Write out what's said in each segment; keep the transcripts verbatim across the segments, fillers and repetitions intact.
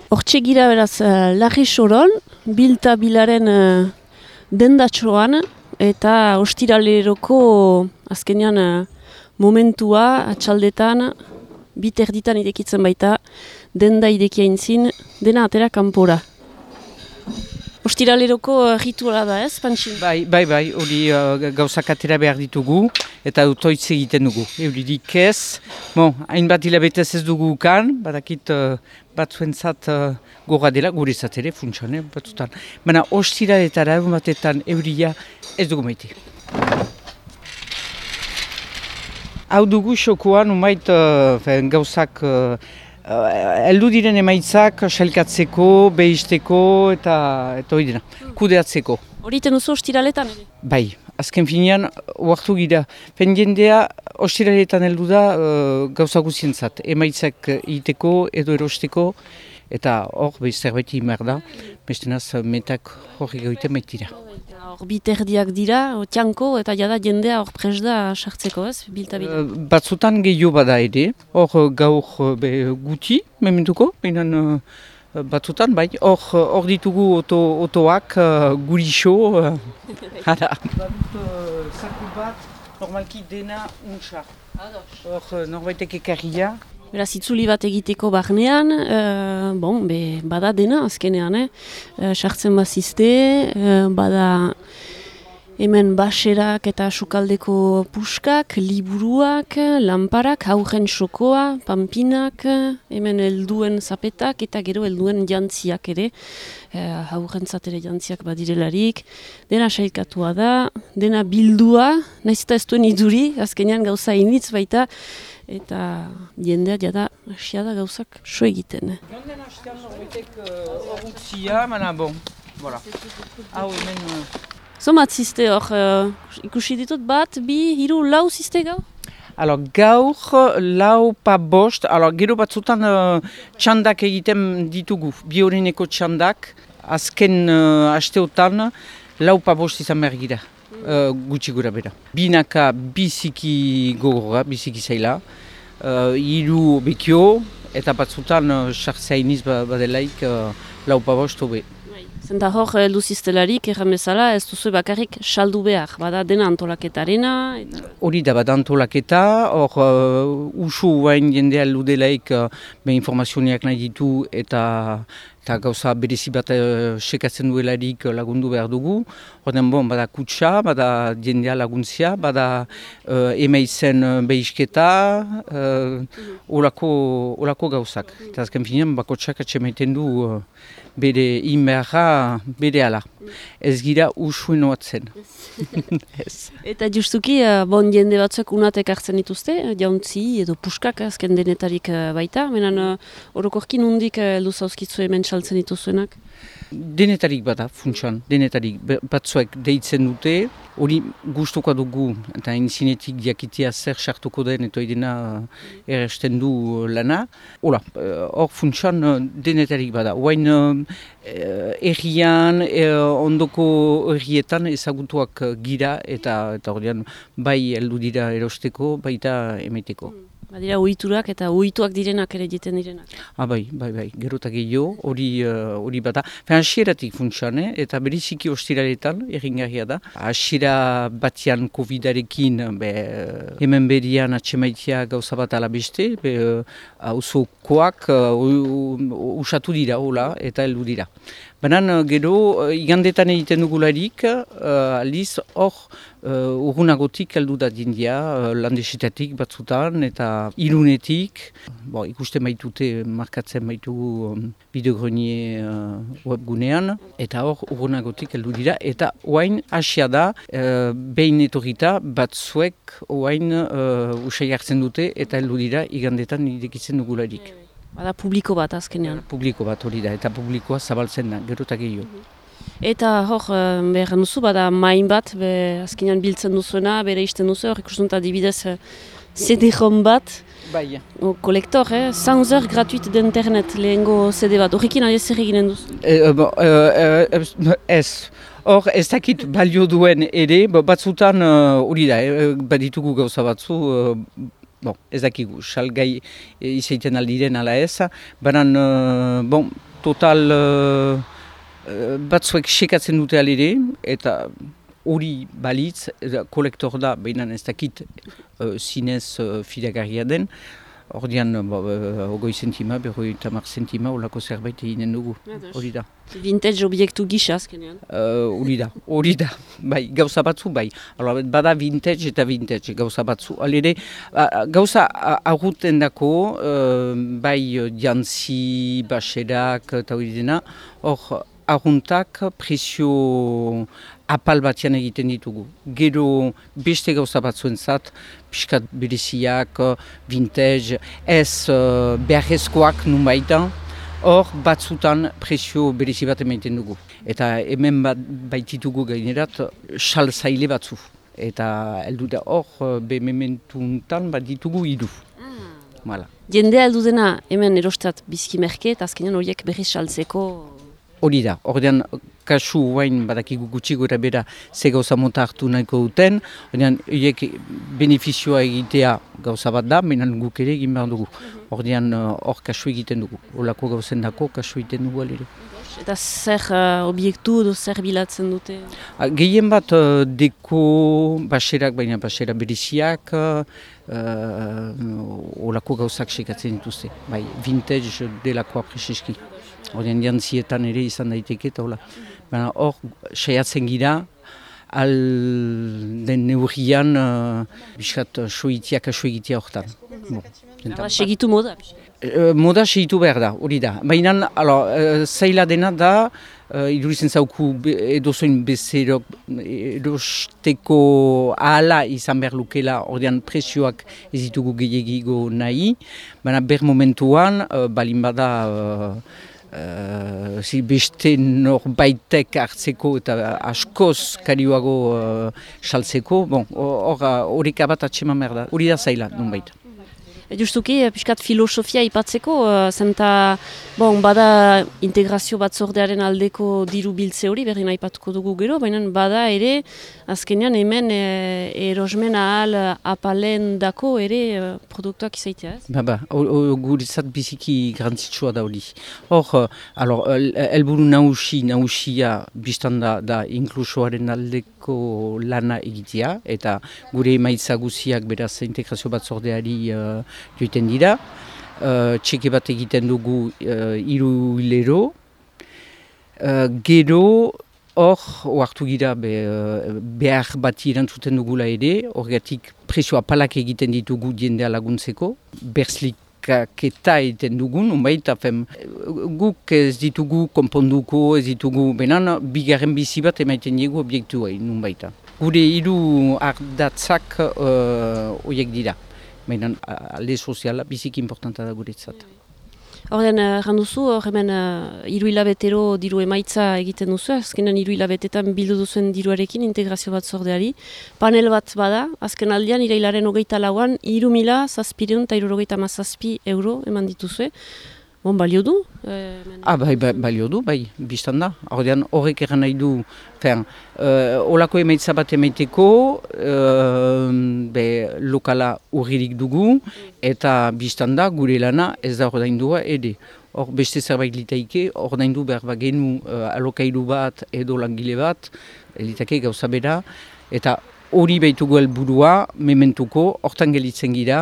Hortxe gira beraz, uh, Larri Soron, bilta bilaren uh, dendatxoan, eta ostiraleroko azkenean uh, momentua, atxaldetan, bit erditan irekitzen baita, denda irekia intzin, dena atera kanpora. Ostiraleroko uh, rituala da ez, Pantxin? Bai, bai, bai, hori uh, gauzak atera behar ditugu eta autoitz egiten dugu. Euririk ez, bon, hainbat hilabetez ez dugu ukan, badakit uh, batzuentzat uh, gora dela, gure ere funtsan, eh, batzutan. Baina ostiraletara egun batetan euria ez dugu maite. Hau dugu xokoan, umait uh, gauzak uh, heldu diren emaitzak sailkatzeko, behisteko eta eta hori dena, kudeatzeko. Hori iten duzu ostiraletan? Bai, azken finean, oartu gira. Pendiendea ostiraletan heldu da uh, gauza guzientzat, emaitzak egiteko edo erosteko, eta hor behi zerbait imar da, bestenaz metak horri gaiten maitira. Hor biterdiak dira, tianko eta jada jendea hor pres da sartzeko ez, bilta-bila? Uh, batzutan gehiago bada ere, hor gaur be, guti, mementuko, behinan uh, batzutan, bai, hor, hor ditugu oto, otoak, uh, gurixo, uh, hara. Badut uh, zaku bat, normalki dena untsa. Hor norbaitek ekarria. Beraz, itzuli bat egiteko barnean, uh, bon, be, bada dena azkenean, eh? Uh, sartzen bazizte, uh, bada hemen baserak eta sukaldeko puskak, liburuak, lanparak, haurren xokoa, panpinak, hemen helduen zapetak eta gero helduen jantziak ere, uh, haurren zatera jantziak badirelarik, dena sailkatua da, dena bildua, nahiz eta ez duen iduri, azkenean gauza initz baita, eta jendea jada hasia da gauzak so egiten. Jonden hastean norbaitek horretzia, baina bon, voilà. Hau hemen... Zomat ziste hor, uh, ikusi ditut bat, bi, hiru, lau ziste gau? Alors, gaur lau pa bost, alors, gero batzutan uh, txandak egiten ditugu, bi horineko txandak, azken uh, hasteotan lau pa bost izan behar gira. Uh, gutxi gura bera. Binaka biziki gogorra, biziki zaila, uh, hiru bekio, eta batzutan sartzea uh, iniz badelaik uh, lau pabost hobe. Zenta hor, heldu ziztelarik, erran bezala, ez duzu bakarrik saldu behar, bada dena antolaketarena? Hori da, bada antolaketa, hor uh, usu hain jendea heldu delaik uh, be informazioniak nahi ditu eta eta gauza berezi bat uh, sekatzen duelarik lagundu behar dugu. Horten bon, bada kutsa, bada jendea laguntzia, bada uh, emaitzen uh, behisketa, uh, olako, olako gauzak. Eta azken finean, bakotsak atxemaiten du uh, bere inbeharra bere ala. Ez gira usuen oatzen. Eta justuki, bon jende batzuk unatek hartzen dituzte, jauntzi edo puskak azken denetarik baita, menan orokorkin hundik luzauzkitzu hemen saltzen dituzuenak? Denetarik bada, funtsan, denetarik batzuek deitzen dute, hori gustuko dugu, eta entzinetik diakitea zer sartuko den, eta idena erresten du lana. Hola, hor funtsan denetarik bada. Oain errian, ondoko errietan ezagutuak gira, eta horrean bai heldu dira erosteko, baita emeteko. Badira uhiturak eta uhituak direnak ere egiten direnak. Ah, bai, bai, bai, gerotak gehiago, hori uh, bada. Hasieratik funtsan, eh? Eta beriziki ostiraretan, erringarria da. Hasiera batian covidarekin, be, hemen berian atxemaitia gauza bat alabeste, hauzokoak uh, usatu dira, hola, eta heldu dira. Banan, gero, igandetan egiten dugularik, uh, aliz, hor, uh, urgunagotik heldu da dindia, uh, landesetatik batzutan, eta irunetik. Bo, ikusten baitute, markatzen baitugu um, bideogrenier uh, webgunean, eta hor, urgunagotik heldu dira, eta oain hasia da, uh, behin etorrita, batzuek oain uh, usai hartzen dute, eta heldu dira, igandetan irekitzen dugularik. Bada publiko bat azkenean. Publiko bat hori da, eta publikoa zabaltzen da, gero eta gehiago. Eta hor, behar duzu, bada main bat, be, azkenean biltzen duzuena, bere isten duzu, hor ikusten dut adibidez C D-rom bat, bai. O, kolektor, eh? cent heures gratuit d'internet lehengo C D bat, horrekin ari zer eginen duzu? E, bo, e, e, ez, hor ez dakit balio duen ere, batzutan hori da, e, baditugu gauza batzu, e, Bon, ez dakigu, salgai izaiten aldiren ala ez, baina, uh, bon, total uh, uh, batzuek sekatzen dute alere, eta hori balitz, kolektor da, behinan ez dakit uh, zinez uh, fidagarria den, ordean ogoi zentima, berroi tamar zentima, olako zerbait eginen dugu, hori da. Vintage obiektu gisa azkenean? Hori uh, da, hori da, bai, gauza batzu, bai. Hala, bada vintage eta vintage gauza batzu. Alere, gauza aguten dako, uh, bai jantzi, baserak, eta hori dena, hor, arruntak prezio apal batian egiten ditugu. Gero beste gauza batzuentzat, pixkat bereziak, vintage, ez uh, beharrezkoak nun baitan, hor batzutan prezio berezi bat emaiten dugu. Eta hemen bat baititugu gainerat xal zaile batzu. Eta heldu da hor bemementuntan bat ditugu hiru. Mm. Jendea heldu dena hemen erostat bizki merke eta azkenean horiek berriz saltzeko. Hori da, ordean kasu guain badakigu gutxi gora bera ze gauza mota hartu nahiko duten, ordean horiek benefizioa egitea gauza bat da, menan guk ere egin behar dugu. Ordean hor kasu egiten dugu, holako gauzen dako kasu egiten dugu alere. Eta zer uh, obiektu edo zer bilatzen dute? Gehien bat uh, deko baserak, baina basera bereziak, holako uh, gauzak sekatzen dituzte. Bai, vintage delakoa preseski. Horien jantzietan ere izan daiteke eta hola. Baina hor, saiatzen gira, al den neurrian, uh, biskat soitiak aso egitea horretan. Bon, segitu moda? Uh, moda segitu behar da, hori da. Baina, uh, zaila dena da, uh, idurizen zauku edozoin bezerok erosteko ahala izan behar lukela, ordean prezioak ez ditugu gehiagigo nahi. Baina ber momentuan, uh, balin bada, uh, Uh, si beste norbaitek hartzeko eta askoz karioago uh, saltzeko, bon, horrek abat atxeman behar da, hori da zaila, nun baita. Justuki, piskat filosofia ipatzeko, uh, zenta bon, bada integrazio batzordearen aldeko diru biltze hori, berri nahi patuko dugu gero, baina bada ere, azkenean hemen e, erosmen ahal apalen dako ere uh, produktuak izaitea, ez? Ba, ba, guretzat biziki garantzitsua da hori. Hor, helburu nahusi, nahusia biztan da, da inklusoaren aldeko lana egitea, eta gure emaitza guziak beraz integrazio batzordeari uh, joiten dira, uh, txeke bat egiten dugu uh, hiru hilero, uh, gero hor oartu gira be, uh, behar bat irantzuten dugula ere, horregatik prezioa palak egiten ditugu jendea laguntzeko, berzlikaketa egiten dugun, unbait, afem, guk ez ditugu konponduko, ez ditugu, benan, bigarren bizi bat emaiten diegu obiektu hain, unbaita. Gure hiru ardatzak horiek uh, dira. Baina alde soziala biziki importanta da guretzat. Horren, erran duzu, hor hemen hiru hilabetero diru emaitza egiten duzu, azkenan hiru hilabetetan bildu duzuen diruarekin integrazio bat zordeari. Panel bat bada, azken aldean, irailaren hogeita lauan, hiru mila zazpireun eta hirurogeita hamazazpi euro eman dituzue. Bon, balio du? Eh, ah, bai, bai, balio du, bai, biztan da. Horrean, horrek eran nahi du, fen, uh, olako emaitza bat emaiteko, uh, be, lokala urririk dugu, eta biztan da, gure lana ez da ordaindua ere. Hor beste zerbait litaike, ordaindu behar bat genu uh, alokairu bat edo langile bat, litake gauza bera, eta hori behitugu helburua, mementuko, hortan gelitzen gira,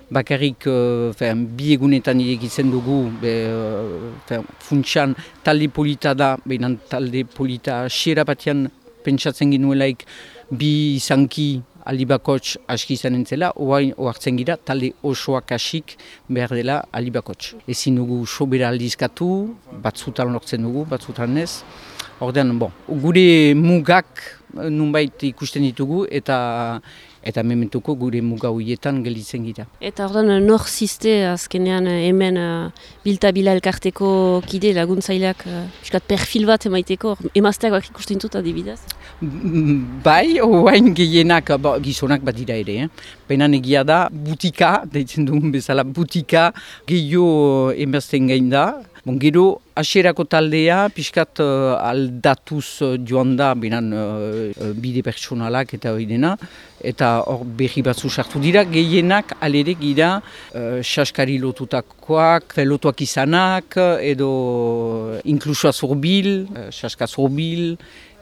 bakarrik uh, fen, bi egunetan egitzen dugu, be, uh, fen, funtsan talde polita da, behinan talde polita xera batean pentsatzen ginuelaik bi izanki alibakots aski izan entzela, oartzen gira talde osoak asik behar dela alibakots. Ezin dugu sobera aldizkatu, batzutan lortzen dugu, batzutan ez. Ordean, bon, gure mugak nunbait ikusten ditugu eta eta mementuko gure muga horietan gelditzen gira. Eta ordean, nor ziste azkenean hemen uh, bilta-bila elkarteko kide laguntzaileak uh, perfil bat emaiteko, emazteak bak ikusten dut adibidez? Bai, oain gehienak, bo, gizonak bat dira ere, eh? Baina egia da, butika, deitzen dugun bezala, butika gehiago emazten gain da. Bon, gero hasierako taldea, pixkat uh, aldatuz uh, joan da, binan uh, bide pertsonalak eta hori dena, eta hor berri batzu sartu dira, gehienak alere gira uh, saskari lotutakoak, lotuak izanak, edo inklusoa zurbil, uh, saska zurbil,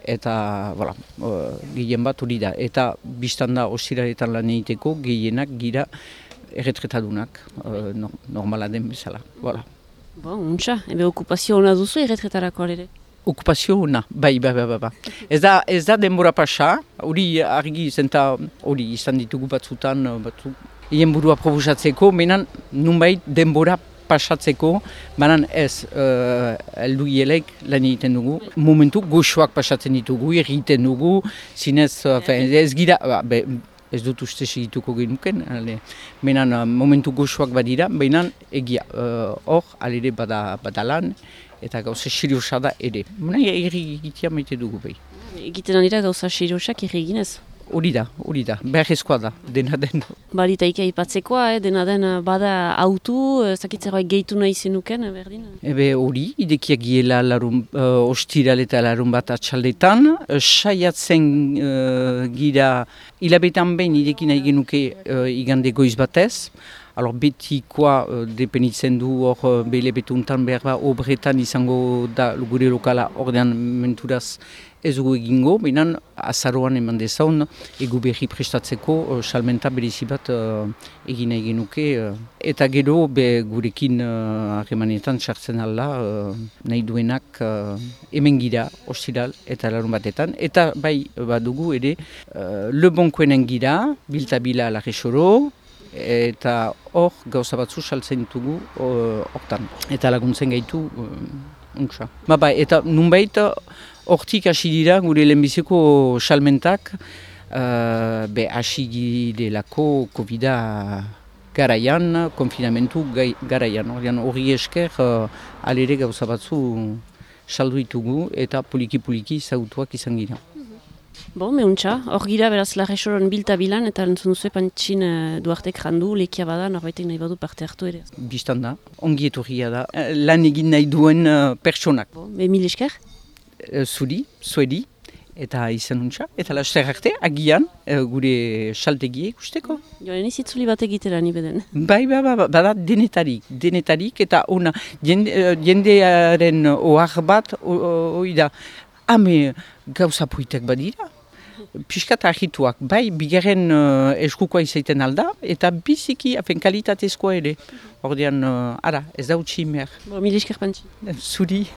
eta voilà, uh, gehien bat hori da. Eta biztan da ostiraretan lan egiteko gehienak gira erretretadunak, uh, no, normala den bezala. Voilà. Bon, untxa, ebe okupazio hona duzu erretretarako ere? Okupazio hona, bai, bai, bai, bai. Ez da, ez da denbora pasa, hori argi zenta, hori izan ditugu batzutan, batzu, hien burua proposatzeko, menan nunbait denbora pasatzeko, banan ez, uh, eldu hielek lan egiten dugu. Momentu goxoak pasatzen ditugu, egiten dugu, zinez, uh, ez gira, be, ez dut uste segituko genuken, menan uh, momentu goxoak badira, baina egia, hor, uh, alere bada, bada lan, eta gauza seriosa da ere. Baina erri egitea maite dugu behi. Egiten dira gauza seriosak erri eginez? Hori da, hori da, beharrezkoa da, dena den. Barita ika ipatzekoa, eh, dena den bada autu, zakitzeroa gehitu nahi zenuken, berdin? Ebe hori, idekiak giela larun, uh, ostiral eta larun bat atxaldetan, uh, saiatzen uh, gira hilabetan behin idekin nahi genuke uh, igande goiz batez. Alors betikoa uh, depenitzen du hor uh, behle betuntan behar ba obretan izango da gure lokala ordean menturaz ez dugu egingo, behinan azaroan eman dezaun egu berri prestatzeko uh, salmenta berezi bat uh, egin nahi genuke. Uh, eta gero be gurekin harremanetan uh, sartzen alda uh, nahi duenak uh, hemen gira ostiral eta larun batetan. Eta bai badugu ere uh, lebonkoenen gira, biltabila larrexoro, eta hor gauza batzu saltzen ditugu hortan. Eta laguntzen gaitu uh, untsa. Ba, bai, eta nunbait hortik hasi dira gure lehenbiziko salmentak uh, be hasi girelako covida garaian, konfinamentu garaian. Hori esker uh, alere gauza batzu saldu ditugu eta poliki-poliki zautuak izan gira. Bon, mehuntza, hor gira beraz larresoron bilta bilan eta entzun duzu pantxin uh, Duartek jandu, lekia bada, norbaitek nahi badu parte hartu ere. Bistan da, ongi etorria da, lan egin nahi duen uh, pertsonak. Bon, be mil esker? Uh, zuri, zuedi, eta izan untsa, eta laster arte, agian, uh, gure saltegiek usteko. Joan ezitzuli bat egitera ni beden. Bai, bai, bai, bada denetarik, denetarik, eta ona, jende, uh, jendearen ohar bat, hori da, hame gauza poitek badira. Piskat ahituak, bai, bigarren uh, eskukoa izaiten alda, eta biziki afen kalitatezkoa ere. Ordean, uh, ara, ez da utzi mer. Bo, mil esker pantxin. Zuri.